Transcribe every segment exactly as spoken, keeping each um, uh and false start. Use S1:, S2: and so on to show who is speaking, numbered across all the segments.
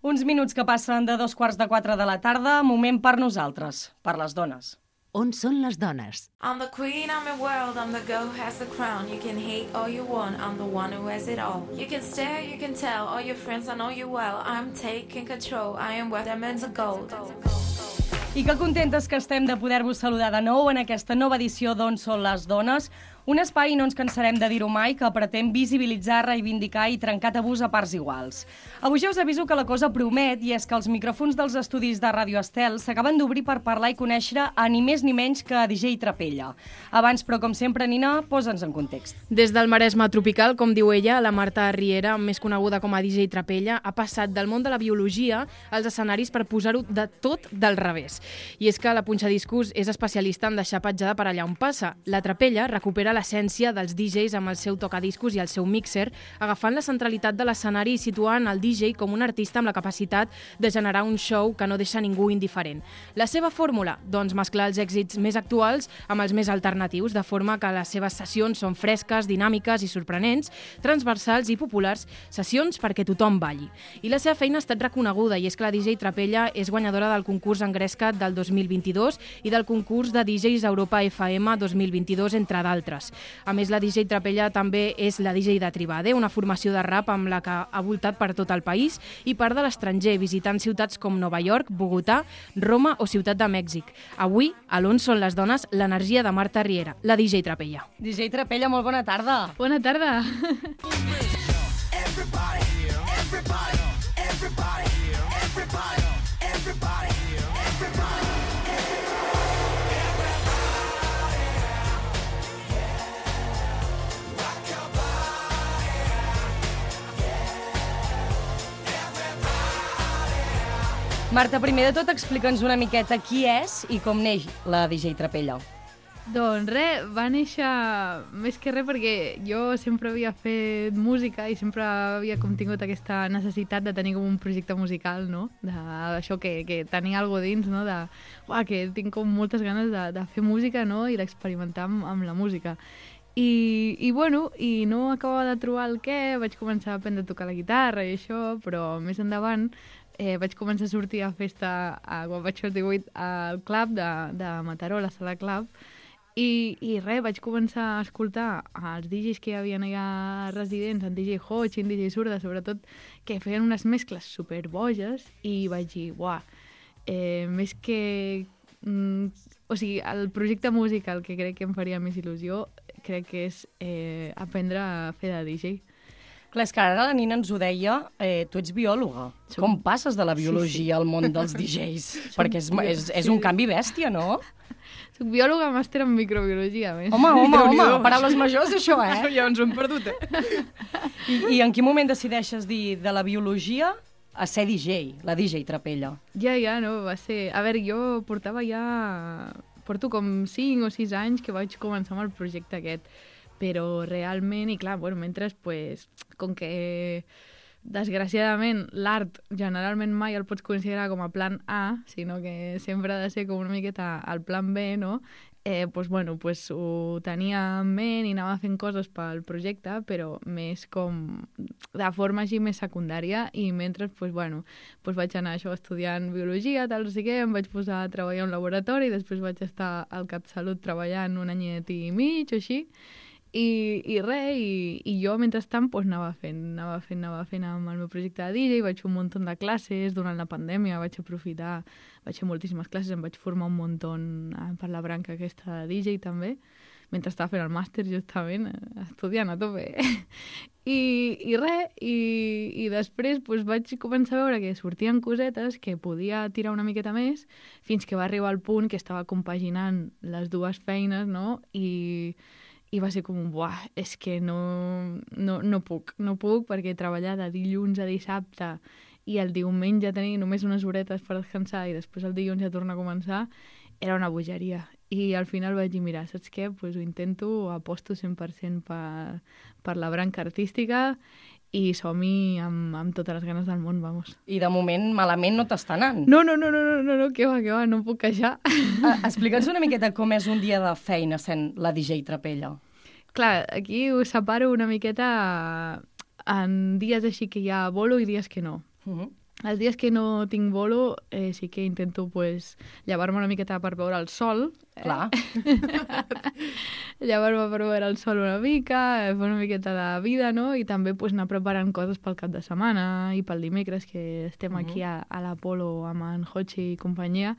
S1: Uns minuts que passen de dos quarts de quatre de la tarda, moment per nosaltres, per les dones.
S2: On són les dones?
S3: I'm the queen, I'm your world, I'm the girl who has the crown. You can hate all you want, I'm the one who has it all. You can stare, you can tell, all your friends, I know you well. I'm taking control, I am worth diamonds of gold.
S1: I que contentes que estem de poder-vos saludar de nou en aquesta nova edició d'On són les dones, un espai, no ens cansarem de dir-ho mai, que pretén visibilitzar, reivindicar i trencar tabús a parts iguals. Avui ja us aviso que la cosa promet, i és que els micròfons dels estudis de Ràdio Estel s'acaben d'obrir per parlar i conèixer a ni més ni menys que a D J Trapella. Abans, però com sempre, Nina, posa'ns en context.
S4: Des del Maresme tropical, com diu ella, la Marta Riera, més coneguda com a D J Trapella, ha passat del món de la biologia als escenaris per posar-ho de tot del revés. I és que la punxadiscos és especialista en deixar petjada per allà on passa. La Trapella recupera l'essència dels D Js amb el seu tocadiscos i el seu mixer, agafant la centralitat de l'escenari i situant el D J com un artista amb la capacitat de generar un show que no deixa ningú indiferent. La seva fórmula? Doncs mesclar els èxits més actuals amb els més alternatius, de forma que les seves sessions són fresques, dinàmiques i sorprenents, transversals i populars, sessions perquè tothom balli. I la seva feina ha estat reconeguda, i és que la D J Trapella és guanyadora del concurs Engrescat del dos mil vint-i-dos i del concurs de D Js Europa F M dos mil vint-i-dos, entre d'altres. A més, la D J Trapella també és la D J de Tribade, una formació de rap amb la que ha voltat per tot el país i part de l'estranger, visitant ciutats com Nova York, Bogotà, Roma o Ciutat de Mèxic. Avui, a l'On són les dones, l'energia de Marta Riera, la D J Trapella.
S1: D J Trapella, molt bona tarda.
S4: Bona tarda.
S5: Everybody, everybody, everybody, everybody, everybody, everybody.
S1: Marta, primer de tot, explica'ns una miqueta qui és i com neix la D J Trapella.
S6: Doncs res, va néixer més que res perquè jo sempre havia fet música i sempre havia com tingut aquesta necessitat de tenir com un projecte musical, no? D'això que, que tenia alguna cosa dins, no? De, uah, que tinc com moltes ganes de, de fer música, no? I d'experimentar amb, amb la música. I, i bueno, i no acabava de trobar el què, vaig començar a aprendre a tocar la guitarra i això, però més endavant eh, vaig començar a sortir a festa a, quan vaig fer divuit al club de, de Mataró, la sala club, i, i res, vaig començar a escoltar els D Js que hi havia allà residents, en D J Hodge i en D J Surda, sobretot, que feien unes mescles superboges, i vaig dir, uah, eh, més que... Mm, o sigui, el projecte musical que crec que em faria més il·lusió crec que és eh, aprendre a fer de D J.
S1: Clar, és que ara la Nina ens ho deia, eh, tu ets biòloga.
S6: Som...
S1: Com passes de la biologia sí, sí. al món dels D Js? Perquè és, és, és un canvi bèstia, no?
S6: Soc biòloga, màster en microbiologia, a més.
S1: Home, home, home, paraules majors, això, eh?
S4: Ja ens ho hem perdut, eh?
S1: I, I en quin moment decideixes dir de la biologia a ser D J, la D J Trapella?
S6: Ja, ja, no, va ser... A veure, jo portava ja... Porto com cinc o sis anys que vaig començar amb el projecte aquest, però realment, i clar, bueno, mentre, pues, com que desgraciadament l'art generalment mai el pots considerar com a plan A, sinó que sempre ha de ser com una miqueta el plan B, no? Eh, pues, bueno, pues, ho tenia en ment i anava fent coses pel projecte, però més com de forma així més secundària, i mentre pues, bueno, pues vaig anar això estudiant biologia, tal, no sé què, em vaig posar a treballar en un laboratori, després vaig estar al CatSalut treballant un anyet i mig o així, i, i res, i, i jo mentrestant pues, anava fent, anava fent, anava fent amb el meu projecte de D J, vaig fer un munt de classes durant la pandèmia, vaig aprofitar, vaig fer moltíssimes classes, em vaig formar un munt per la branca aquesta de D J també, mentre estava fent el màster justament, estudiant a tope. I, i res, i, i després pues, vaig començar a veure que sortien cosetes que podia tirar una miqueta més, fins que va arribar al punt que estava compaginant les dues feines, no? I, i va ser com un, buah, és que no, no, no puc, no puc, perquè treballar de dilluns a dissabte i el diumenge tenir només unes horetes per descansar i després el dilluns ja torna a començar, era una bogeria. I al final vaig dir, mira, saps què? Pues ho intento, aposto cent per cent per, per la branca artística i som-hi amb, amb totes les ganes del món, vamos.
S1: I de moment malament no t'està anant.
S6: No, no, no, no, no, no, no, que va, que va, no em puc queixar.
S1: Ah, explica'ns una miqueta com és un dia de feina sent la D J Trapella.
S6: Clar, aquí ho separo una miqueta en dies així que hi ha bolo i dies que no.
S1: Uh-huh.
S6: Els dies que no tinc bolo eh, sí que intento pues, llevar-me una miqueta per veure el sol.
S1: Clar.
S6: Llevar-me per veure el sol una mica, eh, fer una miqueta de vida, no? I també pues, anar preparant coses pel cap de setmana i pel dimecres, que estem uh -huh. aquí a, a l'Apolo amb en Hochi i companyia.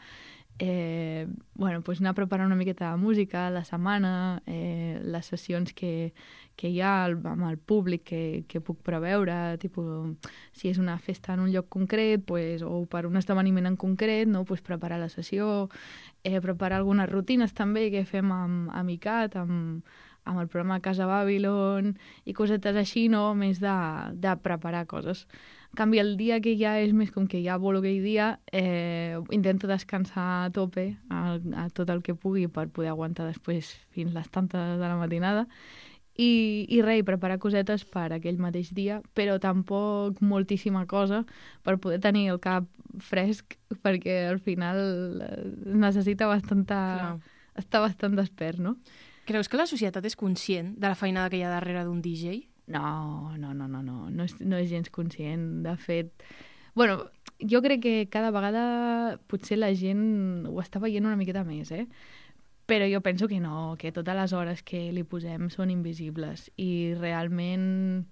S6: Eh, bueno, pues anar preparant una miqueta de música la setmana, eh, les sessions que, que hi ha amb el públic que, que puc preveure, tipus, si és una festa en un lloc concret pues, o per un esdeveniment en concret, no? Pues preparar la sessió, eh, preparar algunes rutines també que fem amb, amb I C A T, amb, amb el programa Casa Babylon i cosetes així, no? Més de, de preparar coses. En canvi, el dia que ja és més com que ja vol aquell dia, eh, intento descansar a tope a, a tot el que pugui per poder aguantar després fins les tantes de la matinada i, i res, preparar cosetes per aquell mateix dia, però tampoc moltíssima cosa per poder tenir el cap fresc, perquè al final necessita bastanta, estar bastant despert, no?
S4: Creus que la societat és conscient de la feinada que hi ha darrere d'un D J?
S6: No, no, no, no, no, no és, no és gens conscient. De fet, bueno, jo crec que cada vegada potser la gent ho està veient una miqueta més, eh? Però jo penso que no, que totes les hores que li posem són invisibles i realment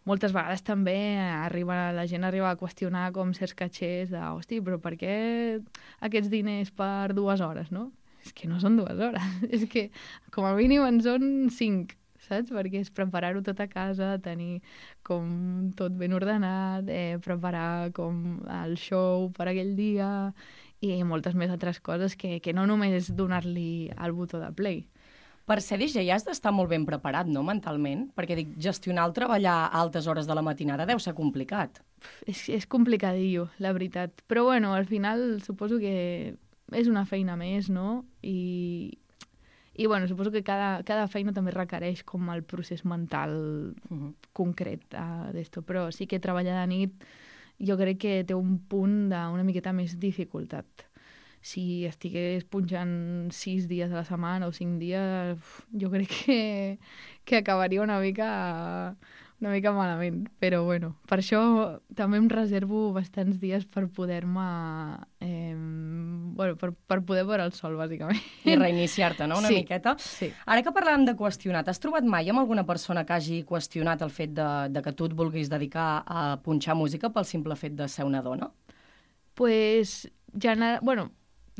S6: moltes vegades també arriba, la gent arriba a qüestionar com certs catxers de, hosti, però per què aquests diners per dues hores, no? És que no són dues hores, és que com a mínim en són cinc, saps? Perquè és preparar-ho tot a casa, tenir com tot ben ordenat, eh, preparar com el show per aquell dia i moltes més altres coses que, que no només donar-li el botó de play.
S1: Per ser D J has d'estar molt ben preparat, no?, mentalment? Perquè dic, gestionar el treballar a altes hores de la matinada deu ser complicat.
S6: És, és complicadillo, la veritat. Però bueno, al final suposo que és una feina més, no? I, i bueno, suposo que cada, cada feina també requereix com el procés mental uh-huh. concret uh, d'esto. Però sí que treballar de nit jo crec que té un punt d'una miqueta més dificultat. Si estigués punxant sis dies a la setmana o cinc dies, jo crec que, que acabaria una mica, una mica malament. Però bueno, per això també em reservo bastants dies per poder-me... Eh, bueno, per, per poder veure el sol, bàsicament.
S1: I reiniciar-te, no?, una
S6: sí,
S1: miqueta.
S6: Sí.
S1: Ara que parlàvem de qüestionar, t'has trobat mai amb alguna persona que hagi qüestionat el fet de, de que tu et vulguis dedicar a punxar música pel simple fet de ser una dona?
S6: Pues, gener... bueno,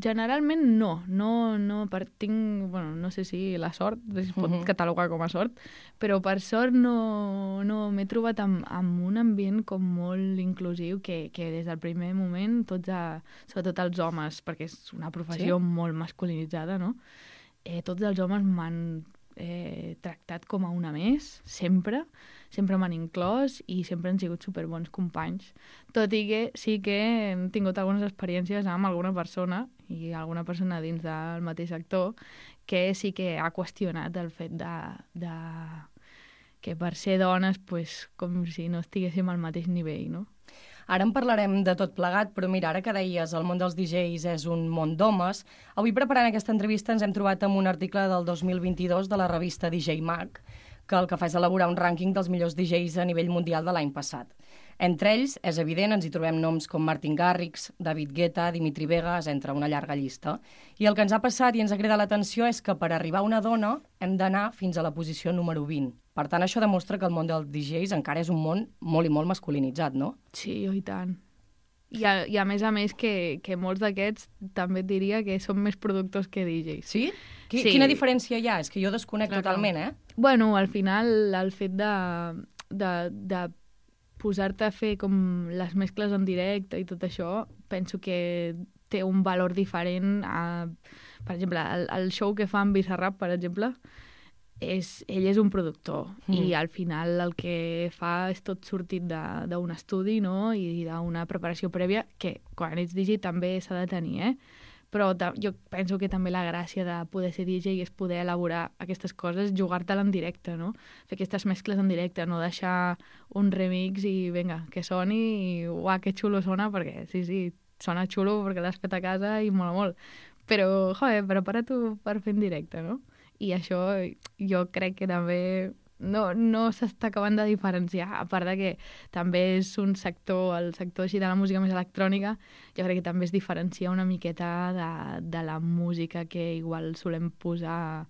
S6: generalment no. No, no, per, tinc, bueno, no sé si la sort, es pot uh-huh. catalogar com a sort, però per sort no, no m'he trobat amb, amb un ambient com molt inclusiu que, que des del primer moment, tots a, sobretot els homes, perquè és una professió sí? molt masculinitzada, no? Eh, tots els homes m'han eh, tractat com a una més, sempre, sempre m'han inclòs i sempre han sigut superbons companys. Tot i que sí que hem tingut algunes experiències amb alguna persona i alguna persona dins del mateix sector que sí que ha qüestionat el fet de, de que per ser dones, pues, com si no estiguéssim al mateix nivell, no?
S1: Ara en parlarem de tot plegat, però mira, ara que deies el món dels D Js és un món d'homes, avui preparant aquesta entrevista ens hem trobat amb un article del dos mil vint-i-dos de la revista D J Mag, que el que fa és elaborar un rànquing dels millors D Js a nivell mundial de l'any passat. Entre ells, és evident, ens hi trobem noms com Martin Garrix, David Guetta, Dimitri Vegas, entre una llarga llista. I el que ens ha passat i ens ha cridat l'atenció és que per arribar a una dona hem d'anar fins a la posició número vint. Per tant, això demostra que el món dels D Js encara és un món molt i molt masculinitzat, no?
S6: Sí, oh, i tant. I a, i a més a més que, que molts d'aquests també et diria que són més productors que D Js.
S1: Sí? Qui,
S6: sí.
S1: Quina diferència hi ha? És que jo desconec
S6: Clar,
S1: totalment, eh?
S6: Bueno, al final el fet de, de, de posar-te a fer com les mescles en directe i tot això, penso que té un valor diferent a, per exemple, el, el show que fa en Bizarrap, per exemple, és, ell és un productor mm. i al final el que fa és tot sortit d'un estudi, no?, i d'una preparació prèvia que quan ets D J també s'ha de tenir, eh? Però jo penso que també la gràcia de poder ser D J és poder elaborar aquestes coses, jugar-te-la en directe, no? Fer aquestes mescles en directe, no deixar un remix i vinga, que soni i uah, que xulo sona, perquè sí, sí, sona xulo perquè l'has fet a casa i mola molt. Però, joder, prepara-t'ho per fer en directe, no? I això jo crec que també no, no s'està acabant de diferenciar, a part de que també és un sector, el sector així de la música més electrònica, jo crec que també es diferencia una miqueta de, de la música que igual solem posar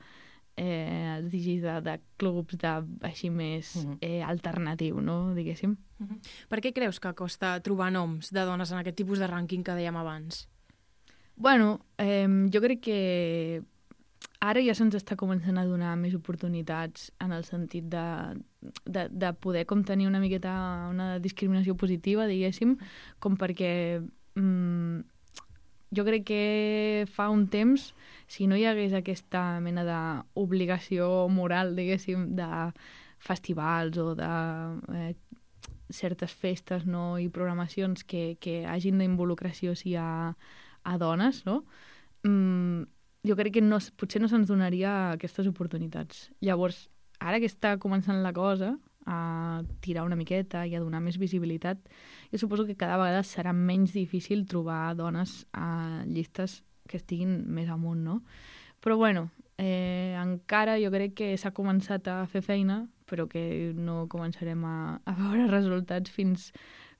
S6: eh, els D Js de, de clubs de, així més uh -huh. eh, alternatiu, no? Diguéssim.
S4: Uh -huh. Per què creus que costa trobar noms de dones en aquest tipus de rànquing que dèiem abans?
S6: Bueno, eh, jo crec que ara ja se'ns està començant a donar més oportunitats en el sentit de, de, de poder com tenir una miqueta una discriminació positiva, diguéssim, com perquè mm, jo crec que fa un temps, si no hi hagués aquesta mena d'obligació moral, diguéssim, de festivals o de eh, certes festes, no, i programacions que, que hagin d'involucració sí, a, a dones, no? Mm, jo crec que no, potser no se'ns donaria aquestes oportunitats. Llavors, ara que està començant la cosa a tirar una miqueta i a donar més visibilitat, jo suposo que cada vegada serà menys difícil trobar dones a llistes que estiguin més amunt, no? Però bueno, eh, encara jo crec que s'ha començat a fer feina, però que no començarem a, a veure resultats fins,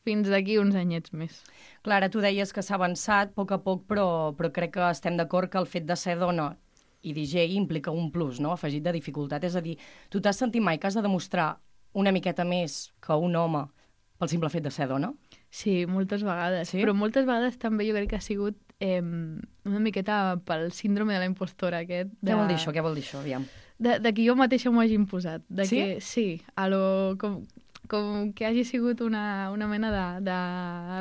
S6: fins d'aquí uns anyets més.
S1: Clara, tu deies que s'ha avançat a poc a poc, però, però crec que estem d'acord que el fet de ser dona i D J implica un plus, no?, afegit de dificultat. És a dir, tu t'has sentit mai que has de demostrar una miqueta més que un home pel simple fet de ser dona?
S6: Sí, moltes vegades.
S1: Sí?
S6: Però moltes vegades també jo crec que ha sigut eh, una miqueta pel síndrome de la impostora aquest. De...
S1: Què vol dir això? Què vol dir això? Aviam.
S6: De, de que jo mateixa m'ho hagi imposat. De
S1: Sí?
S6: Que, sí, a lo, com, com que hagi sigut una, una mena de, de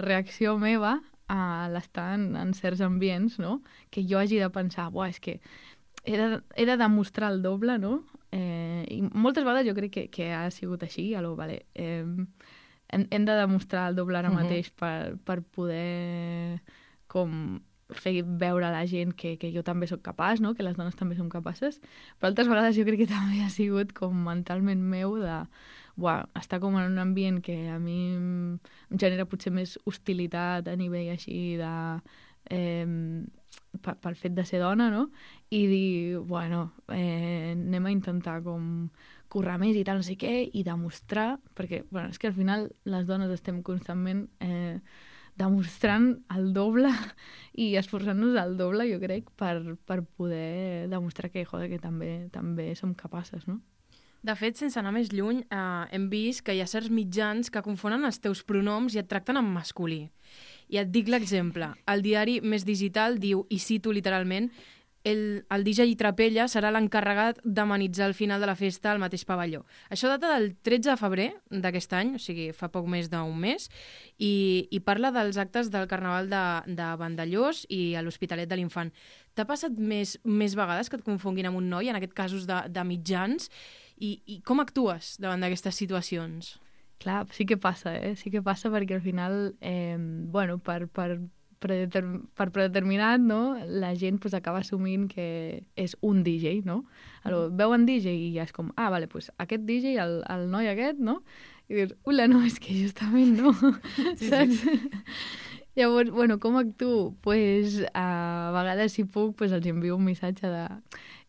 S6: reacció meva a l'estar en, en certs ambients, no? Que jo hagi de pensar, buah, és que he de, he de demostrar el doble, no? Eh, I moltes vegades jo crec que, que ha sigut així, a lo, vale, eh, hem, hem de demostrar el doble ara
S1: Uh -huh.
S6: mateix per, per poder com fer veure a la gent que, que jo també sóc capaç, no? Que les dones també som capaces, però altres vegades jo crec que també ha sigut com mentalment meu de buah, estar com en un ambient que a mi em genera potser més hostilitat a nivell així de... Eh, pel fet de ser dona, no? I dir, bueno, eh, anem a intentar com currar més i tal, no sé què, i demostrar, perquè, bueno, és que al final les dones estem constantment eh, demostrant el doble i esforçant-nos el doble, jo crec, per, per poder demostrar que, joder, que també, també som capaces, no?
S4: De fet, sense anar més lluny, eh, hem vist que hi ha certs mitjans que confonen els teus pronoms i et tracten en masculí. I et dic l'exemple. El diari Més Digital diu, i cito literalment, el, el D J Trapella serà l'encarregat d'amenitzar el final de la festa al mateix pavelló. Això data del tretze de febrer d'aquest any, o sigui, fa poc més d'un mes, i, i parla dels actes del Carnaval de, de Vandellós i a l'Hospitalet de l'Infant. T'ha passat més, més vegades que et confonguin amb un noi, en aquest casos de, de mitjans, i, i com actues davant d'aquestes situacions?
S6: Clar, sí que passa, eh? Sí que passa perquè al final, eh, bueno, per, per, predeterm per predeterminat, no?, la gent pues, acaba assumint que és un D J, no? Alors, veuen D J i ja és com, ah, vale, pues aquest D J, el, el noi aquest, no? I dius, ula, no, és que justament no, sí, saps? Sí. Llavors, bueno, com actuo? Pues, a vegades, si puc, pues, els envio un missatge de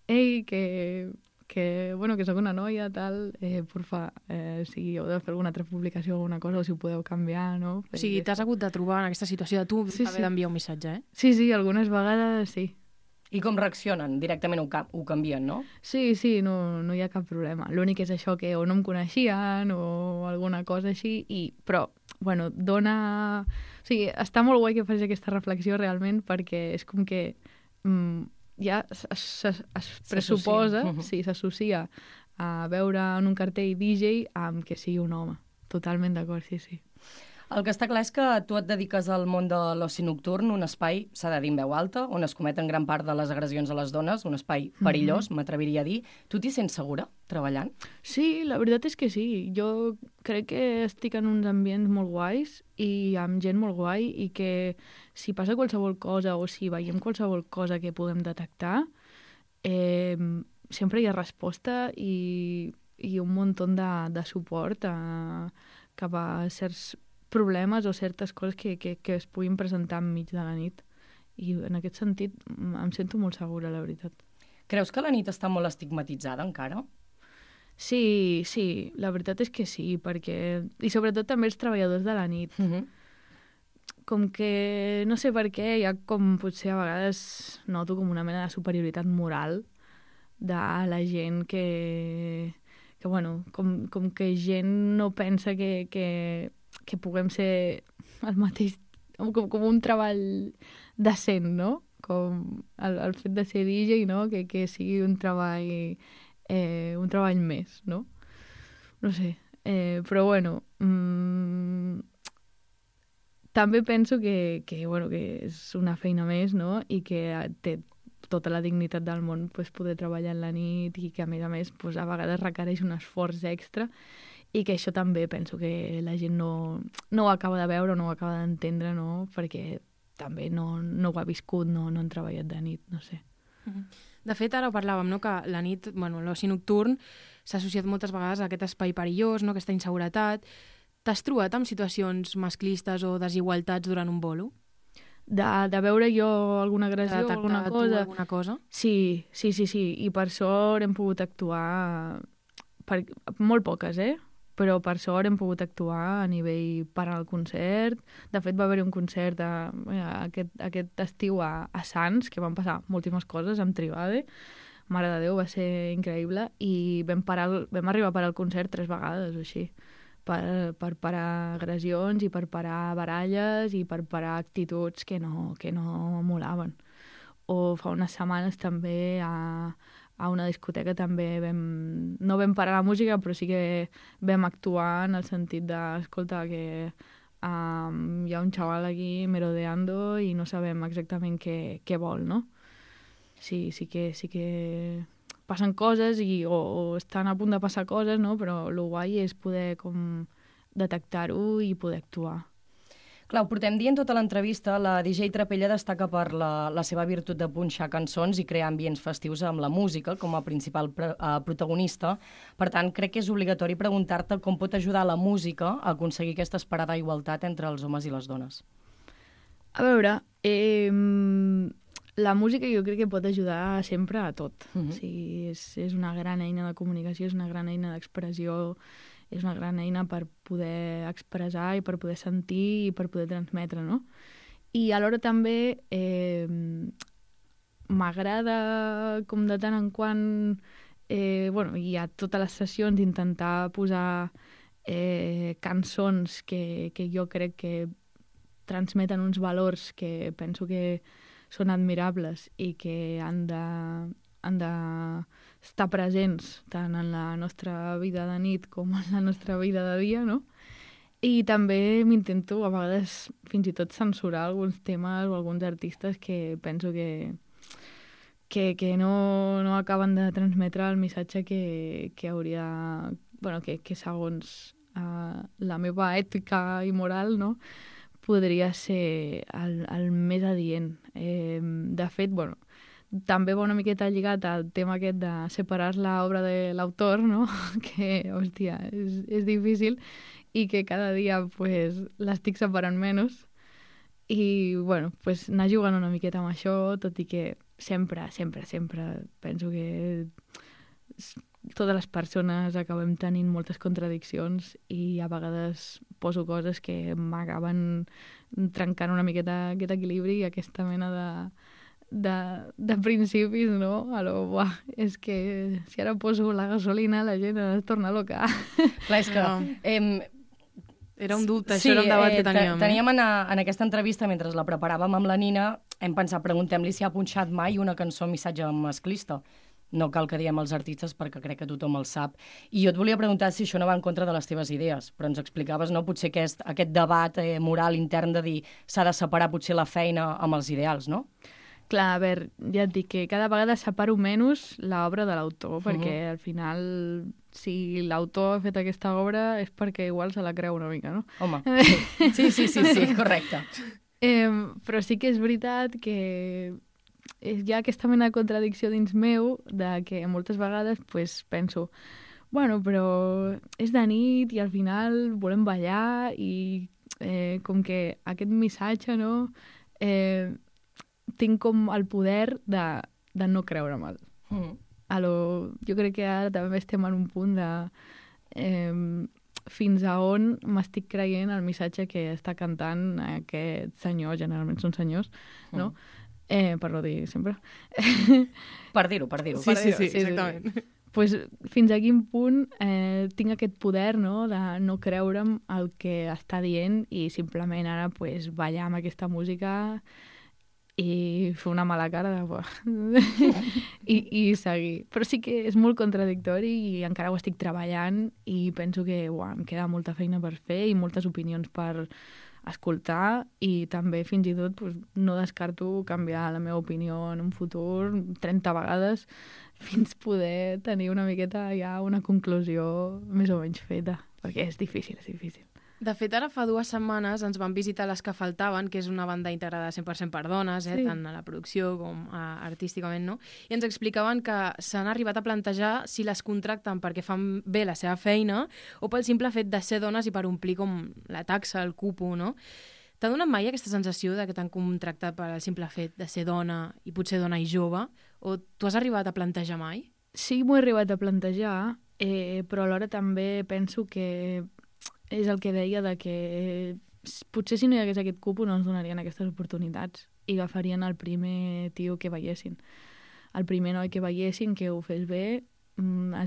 S6: ei, que... que, bueno, que sóc una noia, tal, eh, porfa, eh, si heu de fer alguna altra publicació o alguna cosa, o si ho podeu canviar, no?
S4: O sigui, t'has hagut de trobar en aquesta situació de tu
S6: sí,
S4: haver
S6: sí.
S4: d'enviar un missatge, eh?
S6: Sí, sí, algunes vegades sí.
S1: I com reaccionen? Directament ho, ho canvien, no?
S6: Sí, sí, no, no hi ha cap problema. L'únic és això que o no em coneixien o alguna cosa així, i, però, bueno, dona... O sigui, està molt guai que facis aquesta reflexió realment perquè és com que... Mm, ja es, es, es pressuposa, sí, s'associa a veure en un cartell D J amb que sigui un home. Totalment d'acord, sí, sí.
S1: El que està clar és que tu et dediques al món de l'oci nocturn, un espai, s'ha de dir en veu alta, on es cometen gran part de les agressions a les dones, un espai perillós, mm-hmm. m'atreviria a dir. Tu t'hi sents segura, treballant?
S6: Sí, la veritat és que sí. Jo crec que estic en uns ambients molt guais i amb gent molt guai i que si passa qualsevol cosa o si veiem qualsevol cosa que podem detectar, eh, sempre hi ha resposta i, i un munt de, de suport a, cap a certs problemes o certes coses que, que, que es puguin presentar enmig de la nit. I en aquest sentit em sento molt segura, la veritat.
S1: Creus que la nit està molt estigmatitzada encara?
S6: Sí, sí, la veritat és que sí, perquè... I sobretot també els treballadors de la nit.
S1: Uh -huh.
S6: Com que, no sé per què, hi ha com potser a vegades noto com una mena de superioritat moral de la gent que, que bueno, com, com que gent no pensa que, que, que puguem ser el mateix, com, com un treball decent, no? Com el, el fet de ser D J, no? Que, que sigui un treball, eh, un treball més, no? No sé, eh, però bueno... Mm, també penso que, que, bueno, que és una feina més, no? I que té tota la dignitat del món pues, poder treballar en la nit i que, a més a més, pues, a vegades requereix un esforç extra i que això també penso que la gent no, no ho acaba de veure, no ho acaba d'entendre, no? Perquè també no, no ho ha viscut, no, no han treballat de nit, no sé.
S4: De fet, ara parlàvem, no?, que la nit, bueno, l'oci nocturn s'ha associat moltes vegades a aquest espai perillós, no?, aquesta inseguretat. T'has trobat amb situacions masclistes o desigualtats durant un bolo?
S6: De, de veure jo alguna agressió o alguna cosa?
S4: alguna cosa?
S6: Sí, sí, sí, sí. I per sort hem pogut actuar... Per, molt poques, eh? Però per sort hem pogut actuar a nivell parar el concert. De fet, va haver-hi un concert a, a, aquest, aquest estiu a, a Sants, que van passar moltíssimes coses amb Tribade. Mare de Déu, va ser increïble. I vam, parar el, vam arribar a parar el concert tres vegades o així. Per, per parar agressions i per parar baralles i per parar actituds que no, que no molaven. O fa unes setmanes també a, a una discoteca també vam... No vam parar la música, però sí que vam actuar en el sentit de, escolta, que um, hi ha un xaval aquí merodeando i no sabem exactament què, què vol, no? Sí, sí que... Sí que... passen coses i, o, o estan a punt de passar coses, no? Però el guai és poder com detectar-ho i poder actuar.
S1: Clar, ho portem dient tota l'entrevista, la D J Trapella destaca per la, la seva virtut de punxar cançons i crear ambients festius amb la música com a principal pre, uh, protagonista. Per tant, crec que és obligatori preguntar-te com pot ajudar la música a aconseguir aquesta esperada igualtat entre els homes i les dones.
S6: A veure, eh, la música jo crec que pot ajudar sempre a tot. Uh-huh. O sigui, és, és una gran eina de comunicació, és una gran eina d'expressió, és una gran eina per poder expressar i per poder sentir i per poder transmetre, no? I alhora també eh, m'agrada com de tant en quant, eh, bueno, hi ha totes les sessions intentar posar eh, cançons que, que jo crec que transmeten uns valors que penso que són admirables i que han de, han de estar presents tant en la nostra vida de nit com en la nostra vida de dia, no? I també m'intento a vegades fins i tot censurar alguns temes o alguns artistes que penso que, que, que no, no acaben de transmetre el missatge que, que hauria... Bueno, que, que segons uh, la meva ètica i moral, no?, podria ser el, el més adient. Eh, de fet, bueno, també va una miqueta lligat al tema aquest de separar l'obra de l'autor, no? Que, hòstia, és, és difícil i que cada dia pues, l'estic separant menys. I, bueno, pues, anar jugant una miqueta amb això, tot i que sempre, sempre, sempre penso que totes les persones acabem tenint moltes contradiccions i a vegades poso coses que m'acaben trencant una miqueta aquest equilibri i aquesta mena de, de, de principis, no? Alò, buah, és que si ara poso la gasolina la gent es torna loca.
S1: Clar, és que... Eh,
S4: Era un dubte,
S1: sí,
S4: això era un debat
S1: eh,
S4: que teníem.
S1: Te, teníem en, a, en aquesta entrevista, mentre la preparàvem amb la Nina, hem pensat, preguntem-li si ha punxat mai una cançó amb missatge masclista. No cal que diem els artistes perquè crec que tothom el sap. I jo et volia preguntar si això no va en contra de les teves idees, però ens explicaves, no?, potser aquest, aquest debat eh, moral intern de dir s'ha de separar potser la feina amb els ideals, no?
S6: Clar, a veure, ja et dic que cada vegada separo menys l'obra de l'autor, perquè uh-huh. al final, si l'autor ha fet aquesta obra és perquè igual se la creu una mica, no?
S1: Home, sí, sí, sí, sí, correcte.
S6: Eh, però sí que és veritat que hi ha aquesta mena de contradicció dins meu de que moltes vegades pues, penso bueno, però és de nit i al final volem ballar i eh, com que aquest missatge, no? Eh, tinc com el poder de, de no creure'm-el.
S1: Mm.
S6: a lo... jo crec que ara també estem en un punt de eh, fins a on m'estic creient el missatge que està cantant aquest senyor, generalment són senyors, no? Mm. Eh, per no dir sempre.
S1: Per dir-ho, per dir-ho.
S4: Sí, sí, sí, sí, exactament.
S6: Sí, sí. Pues, fins a quin punt eh, tinc aquest poder, no?, de no creure'm el que està dient i simplement ara pues, ballar amb aquesta música i fer una mala cara de... I, i seguir. Però sí que és molt contradictori i encara ho estic treballant i penso que uah, em queda molta feina per fer i moltes opinions per escoltar i també fins i tot pues, no descarto canviar la meva opinió en un futur trenta vegades fins poder tenir una miqueta ja una conclusió més o menys feta, perquè és difícil, és difícil.
S4: De fet, ara fa dues setmanes ens van visitar Les que faltaven, que és una banda integrada cent per cent per dones, eh,
S6: Sí.
S4: tant a la producció com a, artísticament, no? I ens explicaven que s'han arribat a plantejar si les contracten perquè fan bé la seva feina o pel simple fet de ser dones i per omplir com la taxa, el cupo, no? T'ha donat mai aquesta sensació de que t'han contractat per al simple fet de ser dona i potser dona i jove? O t'ho has arribat a plantejar mai?
S6: Sí, m'ho he arribat a plantejar, eh, però alhora també penso que és el que deia de que potser si no hi hagués aquest cupo no ens donarien aquestes oportunitats i agafarien el primer tio que veiessin. El primer noi que veiessin, que ho fes bé,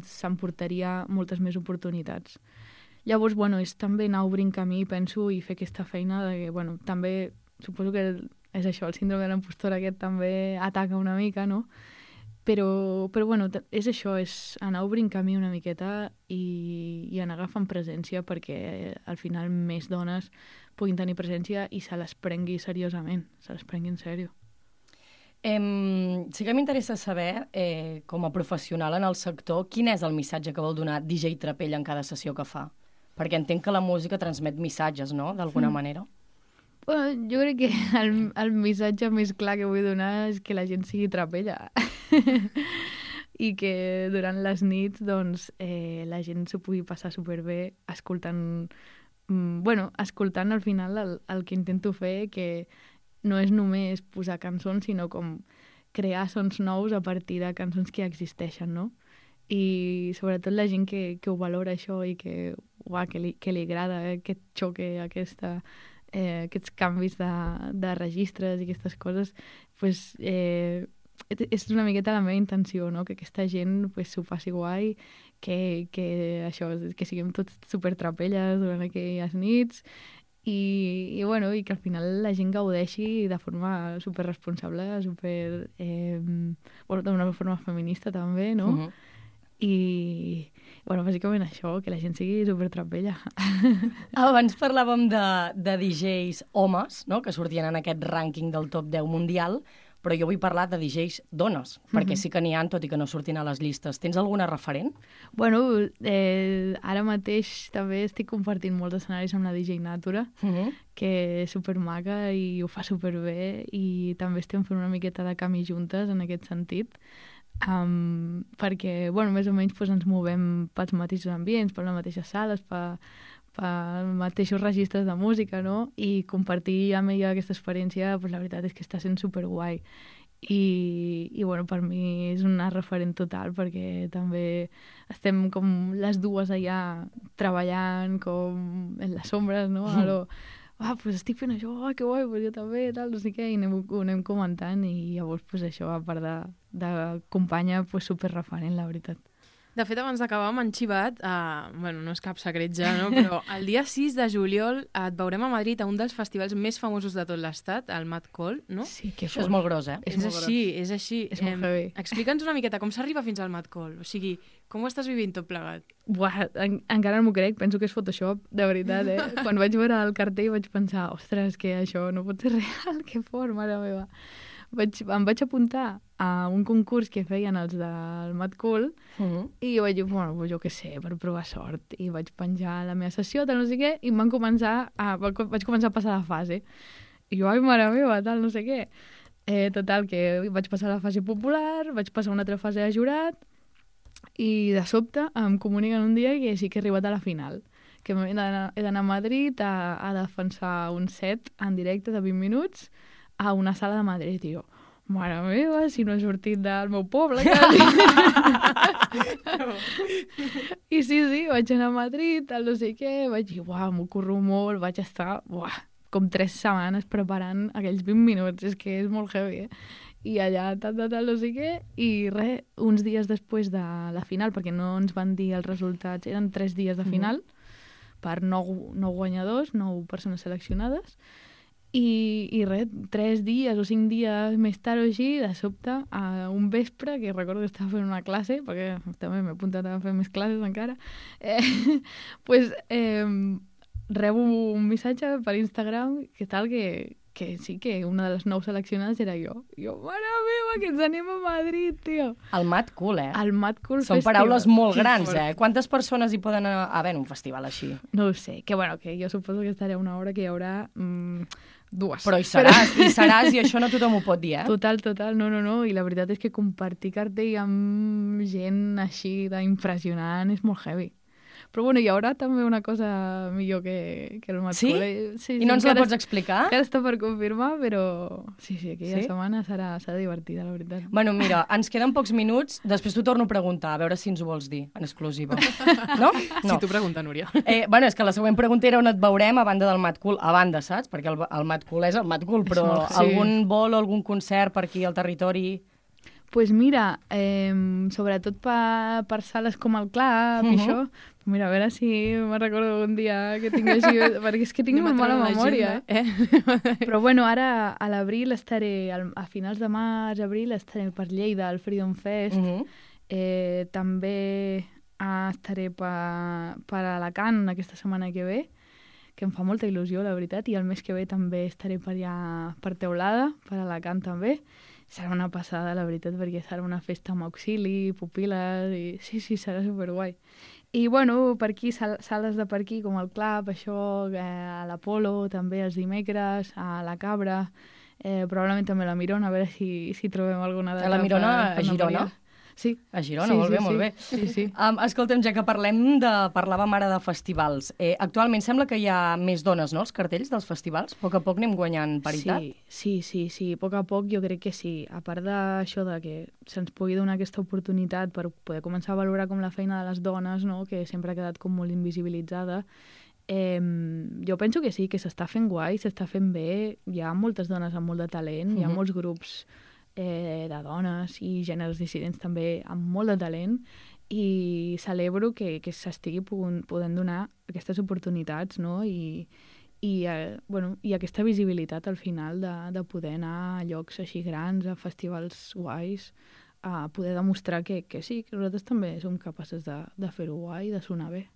S6: s'emportaria moltes més oportunitats. Llavors, bueno, és també anar obrint camí, penso, i fer aquesta feina de que, bueno, també, suposo que és això, el síndrome de l'impostora aquest també ataca una mica, no? Però, però bueno, és això, és anar obrint camí una miqueta i, i anar agafant presència perquè al final més dones puguin tenir presència i se les prengui seriosament, se les prengui en sèrio.
S1: Em, sí que m'interessa saber, eh, com a professional en el sector, quin és el missatge que vol donar D J Trapella en cada sessió que fa? Perquè entenc que la música transmet missatges, no?, d'alguna mm. manera.
S6: Bueno, jo crec que el, el missatge més clar que vull donar és que la gent sigui trapella. I que durant les nits doncs, eh, la gent s'ho pugui passar superbé escoltant, mm, bueno, escoltant al final el, el que intento fer, que no és només posar cançons, sinó com crear sons nous a partir de cançons que ja existeixen, no? I sobretot la gent que, que ho valora això i que, uah, que, li, que li agrada eh, aquest xoque, aquesta... Eh, aquests canvis de, de registres i aquestes coses, pues, eh, és una miqueta la meva intenció, no? Que aquesta gent pues, s'ho passi guai, que, que, això, que siguem tots supertrapelles durant aquelles nits i, i, bueno, i que al final la gent gaudeixi de forma superresponsable, super, eh, bueno, d'una forma feminista també, no? Uh-huh. I, bueno, bàsicament això, que la gent sigui supertrapella.
S1: Abans parlàvem de, de D Js homes, no?, que sortien en aquest rànquing del top deu mundial, però jo vull parlar de D Js dones, mm-hmm. perquè sí que n'hi ha, tot i que no surtin a les llistes. Tens alguna referent?
S6: Bueno, eh, ara mateix també estic compartint molts escenaris amb la D J Natura, mm-hmm. que és supermaca i ho fa superbé, i també estem fent una miqueta de camí juntes en aquest sentit. Um, perquè, bueno, més o menys pues, ens movem pels mateixos ambients, per les mateixes sales, per, per mateixos registres de música, no? I compartir amb ella aquesta experiència, pues, la veritat és que està sent superguai. I, i bueno, per mi és una referent total, perquè també estem com les dues allà treballant com en les ombres, no? Mm. Alò, ah, pues estic fent això, ah, que guai, pues jo també, tal, no sé què, i anem, ho anem comentant, i llavors, pues això, a part de, de companya, pues superreferent, la veritat.
S4: De fet, abans d'acabar m'han xivat, uh, bueno, no és cap secret ja, no? Però el dia sis de juliol et veurem a Madrid a un dels festivals més famosos de tot l'estat, el Mad Call, no?
S6: Sí, que
S1: això és molt gros, eh?
S4: És, és així, és així.
S6: És molt heavy.
S4: Explica'ns una miqueta com s'arriba fins al Mad Call, o sigui, com ho estàs vivint tot plegat?
S6: Buah, en, encara no m'ho crec, penso que és Photoshop, de veritat, eh? Quan vaig veure el cartell vaig pensar, ostres, que això no pot ser real, que fort, mare meva. Vaig, em vaig apuntar a un concurs que feien els del Mad Cool uh-huh. i vaig dir, bueno, jo què sé, per provar sort. I vaig penjar la meva sessió, tal, no sé què, i em van començar a, vaig començar a passar la fase. I jo, ai, mare meva, tal, no sé què. Eh, total, que vaig passar la fase popular, vaig passar una altra fase de jurat, i de sobte em comuniquen un dia que sí que he arribat a la final, que he d'anar a Madrid a, a defensar un set en directe de vint minuts a una sala de Madrid, i jo, mare meva, si no he sortit del meu poble, quasi. I sí, sí, vaig anar a Madrid, tal no sé què, vaig dir, uah, m'ho curro molt, vaig estar, uah, com tres setmanes preparant aquells vint minuts, és que és molt heavy, eh? I allà, tal, tal, tal, no sé què, i res, uns dies després de la final, perquè no ens van dir els resultats, eren tres dies de final, mm. per nou, nou guanyadors, nou persones seleccionades, i, i res, tres dies o cinc dies més tard o així, de sobte, a un vespre, que recordo que estava fent una classe, perquè també m'he apuntat a fer més classes encara, eh, pues, eh, rebo un missatge per Instagram que tal que, que sí que una de les nou seleccionades era jo. Jo, mare meva, que ens anem a Madrid, tio.
S1: El Mad Cool, eh?
S6: El Mad Cool
S1: Són
S6: Festival.
S1: paraules molt
S6: Que
S1: grans,
S6: fort.
S1: eh? Quantes persones hi poden haver en un festival així?
S6: No ho sé, que bueno, que jo suposo que estaré una hora que hi haurà mm, dues.
S1: Però hi seràs, hi seràs, i això no tothom ho pot dir, eh?
S6: Total, total, no, no, no, i la veritat és que compartir cartell amb gent així d'impressionant és molt heavy. Però bueno, hi haurà també una cosa millor que, que el Mad
S1: Sí?
S6: Cool. Eh? Sí,
S1: I no ens la
S6: encara
S1: pots
S6: est-
S1: explicar?
S6: Encara està per confirmar, però sí, sí, aquella
S1: Sí?
S6: setmana serà, serà divertida, la veritat.
S1: Bueno, mira, ens queden pocs minuts, després t'ho torno a preguntar, a veure si ens ho vols dir, en exclusiva. No? No.
S4: Si tu pregunta, Núria.
S1: Eh, bueno, és que la següent pregunta era on et veurem a banda del Mad Cool. A banda, saps? Perquè el, el Mad Cool és el Mad Cool, però
S6: molt- sí.
S1: algun vol o algun concert per aquí al territori...
S6: Pues mira, eh, sobretot per, per sales com el Club
S1: Mhm.
S6: i això, mira, a veure si me'n recordo un dia que tinc així, perquè és que tinc
S4: Anem a
S6: molt mala
S4: treure
S6: memòria.
S4: l'agenda,
S6: Eh? Però bueno, ara a l'abril estaré, al- a finals de març, abril, estaré per Lleida, al Freedom Fest.
S1: Mhm.
S6: eh, també ah, estaré per, per Alacant aquesta setmana que ve, que em fa molta il·lusió, la veritat, i el mes que ve també estaré per allà, per Teulada, per Alacant també. Serà una passada, la veritat, perquè serà una festa amb auxili, pupil·les, i sí, sí, serà superguai. I, bueno, per aquí, sal sales de per aquí, com el Club, això, eh, a l'Apolo, també els dimecres, a la Cabra, eh, probablement també a la Mirona, a veure si, si trobem alguna data.
S1: A la Mirona,
S6: per-
S1: a
S6: per no
S1: Girona?
S6: variar. Sí.
S1: A Girona,
S6: Sí,
S1: molt
S6: sí,
S1: bé, molt
S6: sí.
S1: bé.
S6: Sí, sí.
S1: Um, escolta'm, ja que parlem de... Parlàvem ara de festivals. Eh, actualment sembla que hi ha més dones, no?, als cartells dels festivals. A poc a poc anem guanyant paritat.
S6: Sí, sí, sí, sí, a poc a poc jo crec que sí. A part d'això de que se'ns pugui donar aquesta oportunitat per poder començar a valorar com la feina de les dones, no?, que sempre ha quedat com molt invisibilitzada, eh, jo penso que sí, que s'està fent guai, s'està fent bé, hi ha moltes dones amb molt de talent, hi ha
S1: Mhm.
S6: molts grups eh, de dones i gèneres dissidents també amb molt de talent, i celebro que, que s'estigui pogun- podent donar aquestes oportunitats, no?, i, i, eh, bueno, i aquesta visibilitat al final de, de poder anar a llocs així grans, a festivals guais, a poder demostrar que, que sí, que nosaltres també som capaces de, de fer-ho guai, de sonar bé.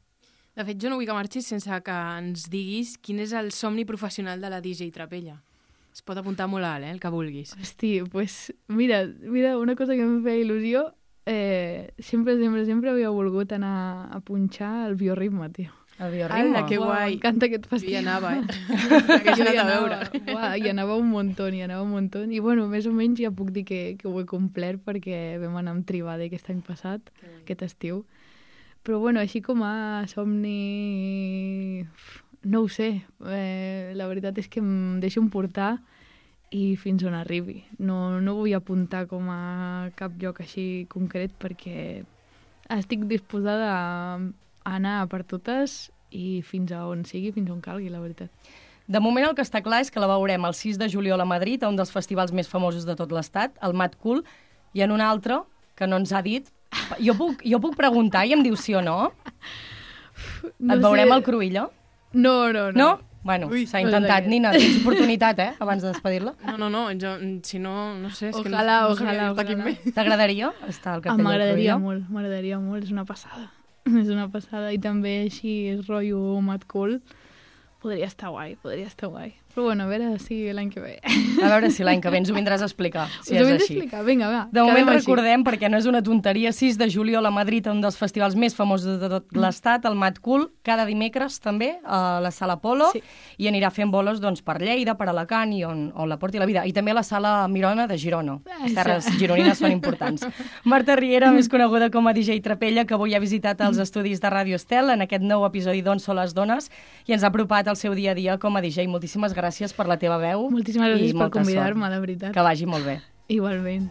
S4: De fet, jo no vull que marxis sense que ens diguis quin és el somni professional de la D J Trapella. Es pot apuntar molt alt, eh, el que vulguis.
S6: Hosti, pues mira, mira, una cosa que em feia il·lusió, eh, sempre, sempre, sempre havia volgut anar a punxar el bioritme, tio.
S1: El bioritme.
S4: Ala, que guai.
S6: M'encanta aquest
S4: Jo
S6: festival.
S4: hi anava, eh? Que
S6: Jo
S4: hi
S6: hi
S4: anat a
S6: anava,
S4: veure.
S6: uah, hi anava un muntó, hi anava un muntó. I bueno, més o menys ja puc dir que, que ho he complert perquè vam anar amb Tribade aquest any passat, aquest estiu. Però bueno, així com a somni... No ho sé. Eh, la veritat és que em deixo emportar i fins on arribi. No, no vull apuntar com a cap lloc així concret perquè estic disposada a anar per totes i fins a on sigui, fins on calgui, la veritat.
S1: De moment el que està clar és que la veurem el sis de juliol a Madrid, a un dels festivals més famosos de tot l'estat, el Mad Cool, i en un altre que no ens ha dit. Jo puc, jo puc preguntar i em diu sí o no?
S6: No
S1: Et veurem
S6: sé.
S1: al Cruïlla?
S6: No, no, no.
S1: No? Bueno,
S6: Ui,
S1: s'ha
S6: no
S1: intentat.
S6: sé.
S1: Nina, tens oportunitat, eh?, abans de despedir-la.
S4: No, no, no, jo, si no, no sé, és que no,
S6: Ojalà,
S4: no sabia
S6: ojalà,
S4: dir-te quin
S6: ojalà.
S4: més.
S1: T'agradaria estar al
S6: Ah,
S1: cartell del
S6: m'agradaria
S1: Cruïlla?
S6: molt, m'agradaria molt, és una passada. És una passada i també així és rotllo Mad Cool. Podria estar guai, podria estar guai. Però bueno, a veure si l'any que ve.
S1: A veure si l'any que ve ens ho vindràs a explicar, si
S6: Us ho
S1: és
S6: hem
S1: així.
S6: d'explicar, vinga, va.
S1: De moment
S6: quedem així.
S1: recordem, perquè no és una tonteria, sis de juliol a Madrid, un dels festivals més famosos de tot l'estat, el Mad Cool, cada dimecres també a la Sala Apolo,
S6: Sí.
S1: i anirà fent bolos doncs, per Lleida, per Alacant i on, on la porti la vida. I també a la Sala Mirona de Girona. Les terres gironines són importants. Marta Riera, més coneguda com a D J Trapella, que avui ha visitat els estudis de Ràdio Estel en aquest nou episodi d'On són les dones i ens ha apropat al seu dia a dia com a D J. Moltíssimes gràcies per la teva veu.
S6: Moltíssimes
S1: i
S6: gràcies per
S1: molta
S6: convidar-me,
S1: sort.
S6: la veritat.
S1: Que vagi molt bé.
S6: Igualment.